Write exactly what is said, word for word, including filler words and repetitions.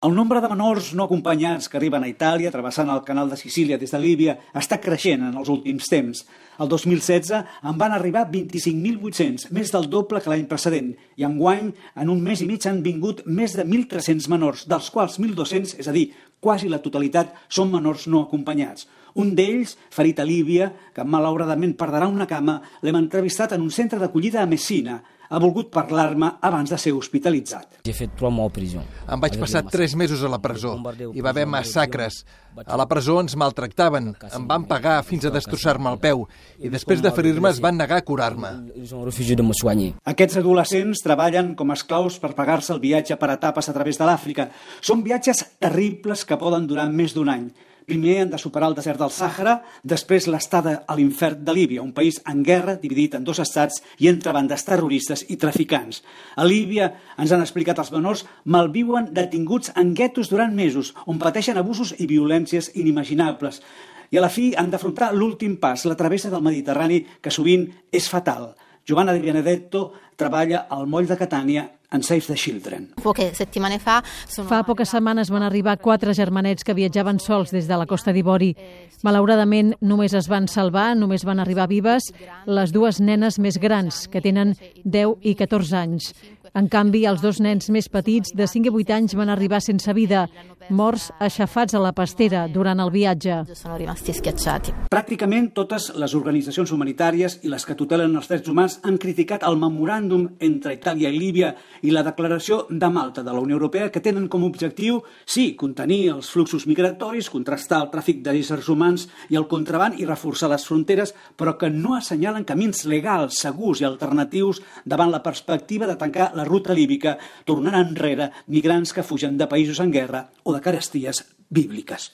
El nombre de menors no acompanyats que arriben a Itàlia, travessant el canal de Sicília des de Líbia, està creixent en els últims temps. El dos mil setze en van arribar vint-i-cinc mil vuit-cents, més del doble que l'any precedent, i enguany, en un mes i mig, han vingut més de mil tres-cents menors, dels quals mil dos-cents, és a dir, quasi la totalitat, són menors no acompanyats. Un d'ells, ferit a Líbia, que malauradament perdrà una cama, l'hem entrevistat en un centre d'acollida a Messina. Ha volgut parlar-me abans de ser hospitalitzat. Em vaig passar tres mesos a la presó. Hi va haver massacres. A la presó ens maltractaven, em van pagar fins a destrossar-me el peu i després de ferir-me es van negar a curar-me. Aquests adolescents treballen com a esclaus per pagar-se el viatge per etapes a través de l'Àfrica. Són viatges terribles que poden durar més d'un any. Primer han de superar el desert del Sàhara, després l'estada a l'infern de Líbia, un país en guerra, dividit en dos estats i entre bandes terroristes i traficants. A Líbia, ens han explicat els menors, malviuen detinguts en guetos durant mesos, on pateixen abusos i violències inimaginables. I a la fi han d'afrontar l'últim pas, la travessa del Mediterrani, que sovint és fatal. Giovanna Di Benedetto treballa al moll de Catània en Save the Children. Fa poques setmanes van arribar quatre germanets que viatjaven sols des de la Costa d'Ivori. Malauradament, només es van salvar, només van arribar vives les dues nenes més grans, que tenen deu i catorze anys. En canvi, els dos nens més petits, de cinc i vuit anys, van arribar sense vida, morts aixafats a la pastera durant el viatge. Pràcticament totes les organitzacions humanitàries i les que tutelen els drets humans han criticat el memoràndum entre Itàlia i Líbia i la declaració de Malta de la Unió Europea, que tenen com a objectiu, sí, contenir els fluxos migratoris, contrastar el tràfic d'éssers humans i el contraban i reforçar les fronteres, però que no assenyalen camins legals, segurs i alternatius davant la perspectiva de tancar la ruta líbica, tornant enrere migrants que fugen de països en guerra o de caresties bíbliques.